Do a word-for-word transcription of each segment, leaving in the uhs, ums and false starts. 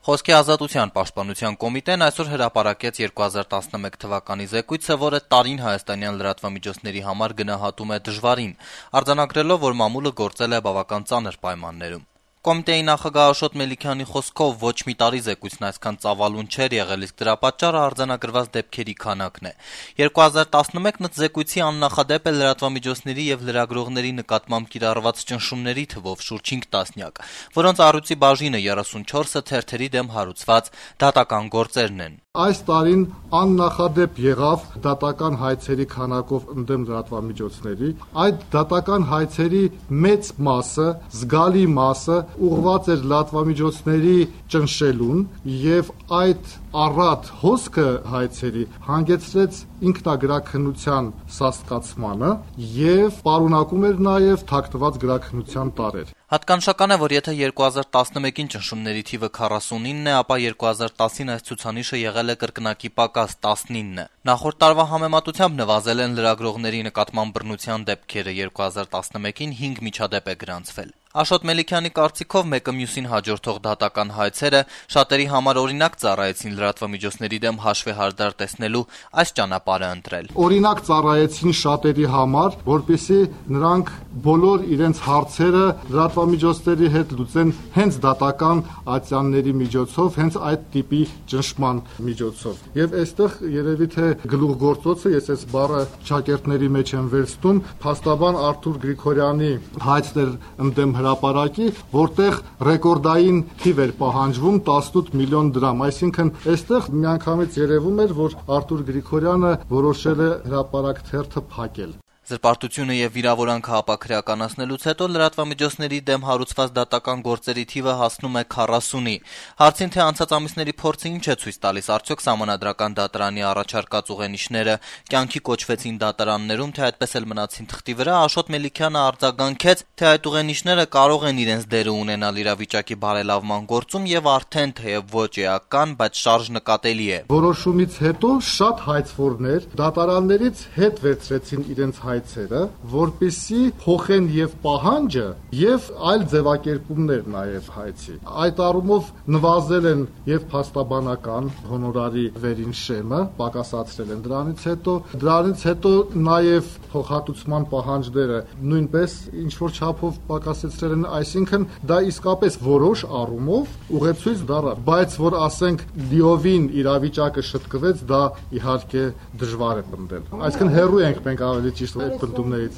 Խոսքի ազատության պաշտպանության կոմիտեն այսօր հրապարակեց երկու հազար տասնմեկ թվականի զեկույցը, որը տարին հայաստանյան լրատվամիջոցների համար գնահատում է դժվարին, արձանագրելով, որ մամուլը գործել է բավական ծանր պայմաններում։ Կոմիտեի նախագահ Աշոտ Մելիքյանի խոսքով ոչ մի տարի զեկույցն այսքան ծավալուն չէր եղել, իսկ դրա պատճառը արձանագրված դեպքերի քանակն է։ երկու հազար տասնմեկն զեկույցի աննախադեպ է լրատվամիջոցների եւ լրագրողների նկատմամբ կիրառված ճնշումների թվով շուրջ հինգ տասնյակ, որոնց առյուծի բաժինը երեսունչորսը թերթերի դեմ հարուցված դատական գործերն են։ Այս տարին աննախադեպ եղավ դատական հայցերի քանակով ընդդեմ լրատվամիջոցների։ Այդ դատական հայցերի մեծ մասը, զգալի մասը ուղղված էր լրատվամիջոցների ճնշելուն եւ այդ առատ հոսքը հայցերի հանգեցրեց ինքնագրաքննության սաստկացմանը եւ պարունակում էր նաեւ թաքնված գրաքննության տարրեր։ Հատկանշական է, որ եթե երկու հազար տասնմեկին ճնշումների թիվը քառասունինն է, ապա երկու հազար տասին այս ցուցանիշը եղել է կրկնակի պակաս տասնինը։ Նախորդ տարվա համեմատությամբ նվազել են լրագրողների նկատմամբ բռնության դեպքերը, երկու հազար տասնմեկին հինգ միջադեպ է գրանցվել։ Աշոտ Մելիքյանի կարծիքով մեկը մյուսին հաջորդող դատական հայցերը շատերի համար օրինակ ծառայեցին լրատվամիջոցների դեմ հաշվեհարդար տեսնելու այս ճանապարհը ընտրել։ Օրինակ ծառայեցին շատերի համար, որպեսզի նրանք բոլոր իրենց հարցերը լրատվամիջոցների հետ լուծեն հենց դատական ատյանների միջոցով, հենց այդ տիպի ճնշման միջոցով։ Եվ այստեղ երևի թե գլուխգործոցը, ես այս բառը շակերտների մեջ եմ վերցնում, փաստաբան Արթուր Գրիգորյանի հայցն էր ընդդեմ հրապարակի, որտեղ ռեկորդային թիվ էր պահանջվում տասնութ միլիոն դրամ, այսինքն այստեղ միանգամից երևում էր, որ Արթուր Գրիգորյանը որոշել է հրապարակ թերթը փակել։ Զրպարտությունը եւ վիրավորանքը ապաքրեականացնելուց հետո լրատվամիջոցների դեմ հարուցված դատական գործերի թիվը հասնում է քառասունի։ Հարցին թե անցած ամիսների փորձը ինչ է ցույց տալիս, արդյոք Սահմանադրական դատարանի առաջարկած ուղենիշները կյանքի կոչվեցին դատարաններում, թե այդպես էլ մնացին թղթի վրա, Աշոտ Մելիքյանը արձագանքեց, թե այդ ուղենիշները կարող են իրենց դերը ունենալ իրավիճակի բարելավման գործում եւ արդեն թեև ոչ էական, բայց շարժ նկատելի է։ Որոշումից հետո շատ հայցվորներ դատարաններից հետ վերցրեցին իրենց հայցերը, որպեսզի փոխեն եւ պահանջը եւ այլ ձևակերպումներ նաեւ հայցի։ Այդ առումով նվազել են եւ փաստաբանական հոնորարի վերինշեմը, պակասացրել են դրանից հետո, դրանից հետո նաեւ փոխհատուցման պահանջները նույնպես ինչ որ չափով պակասեցրել են, այսինքն դա իսկապես որոշ առումով ուղեցույց դառավ, բայց որ ասենք լիովին իրավիճակը շտկվեց, դա իհարկե դժվար է պնդել։ Այսինքն հեռու ենք մենք ավելի ճիշտ այդ պնդումներից։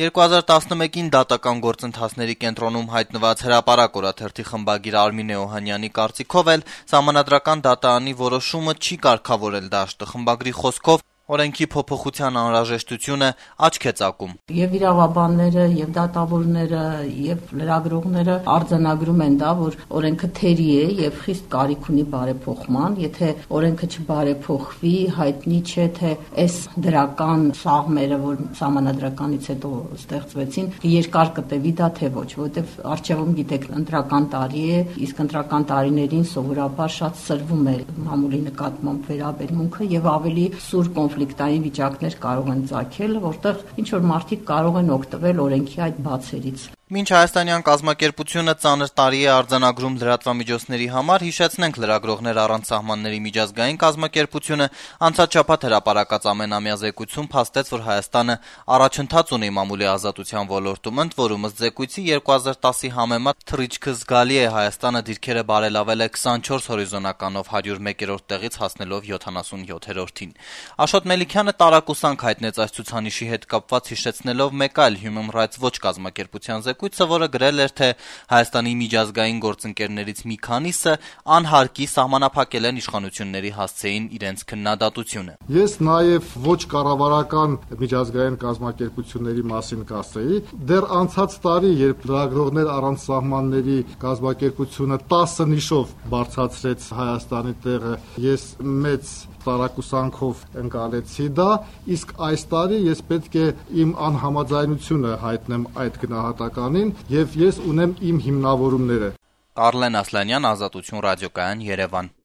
երկու հազար տասնմեկին դատական գործընթացների կենտրոնում հայտնված հրապարակ օրաթերթի խմբագիր Արմինե Օհանյանի կարծիքով էլ Սահմանադրական դատարանի որոշումը չի կարգավորել դաշտը։ Խմբագրի խոսքով օրենքի փոփոխության անհրաժեշտությունը աչք է ծակում։ Եվ իրավաբանները, եւ դատավորները, եւ լրագրողները արձանագրում են դա, որ օրենքը թերի է եւ խիստ կարիք ունի բարեփոխման։ Եթե օրենքը չբարեփոխվի, հայտնի չէ թե այս դրական սաղմերը, որ Սահմանադրականից հետո ստեղծվեցին, երկար կտևի դա թե ոչ, որովհետեւ արժեվում գիտեք, ընտրական տարի է, իսկ ընտրական տարիներին սովորաբար շատ սրվում է մամուլի նկատմամբ վերաբերմունքը եւ ավելի սուր կոնֆլիկտային վիճակներ կարող են ծագել, որտեղ ինչ որ մարդիկ կարող են օգտվել օրենքի այդ բացերից։ Մինչ հայաստանյան կազմակերպությունը ծանր տարի է արձանագրում լրատվամիջոցների համար, հիշեցնենք լրագրողներ առանց սահմանների միջազգային կազմակերպությունը անցած շաբաթ հրապարակած ամենամյա զեկույցում փաստեց, որ Հայաստանը առաջընթաց ունի մամուլի ազատության ոլորտում, ընդ որում ըստ զեկույցի երկու հազար տասի համեմատ թռիչքը զգալի է, Հայաստանը դիրքերը բարելավել է քսանչորս հորիզոնականով հարյուր մեկերորդ տեղից հասնելով յոթանասունյոթերորդին։ Աշոտ Մելիքյանը տարակուսանք հայտնեց այս ցուցանիշի հետ կապված, հիշեցնելով մեկ այլ Human Rights Watch կազմակերպության զեկույցը, որը գրել էր, թե Հայաստանի միջազգային գործընկերներից մի քանիսը անհարկի սահմանափակել են իշխանությունների հասցեին իրենց քննադատությունը։ Ես նաև ոչ կառավարական միջազգային կազմակերպությունների մասին կասեի, դեռ անցած տարի, երբ լրագրողներ առանց սահմանների կազմակերպությունը տասը նիշով բարձրացրեց Հայաստանի տեղը, ես մեծ տարակուսանքով ընկալեցի դա, իսկ այս տարի ես պետք է իմ անհամաձայնությունը հայտնեմ այդ գնահատականին եւ ես ունեմ իմ հիմնավորումները։ Արլեն Ասլանյան, Ազատություն ռադիոկայան, Երևան։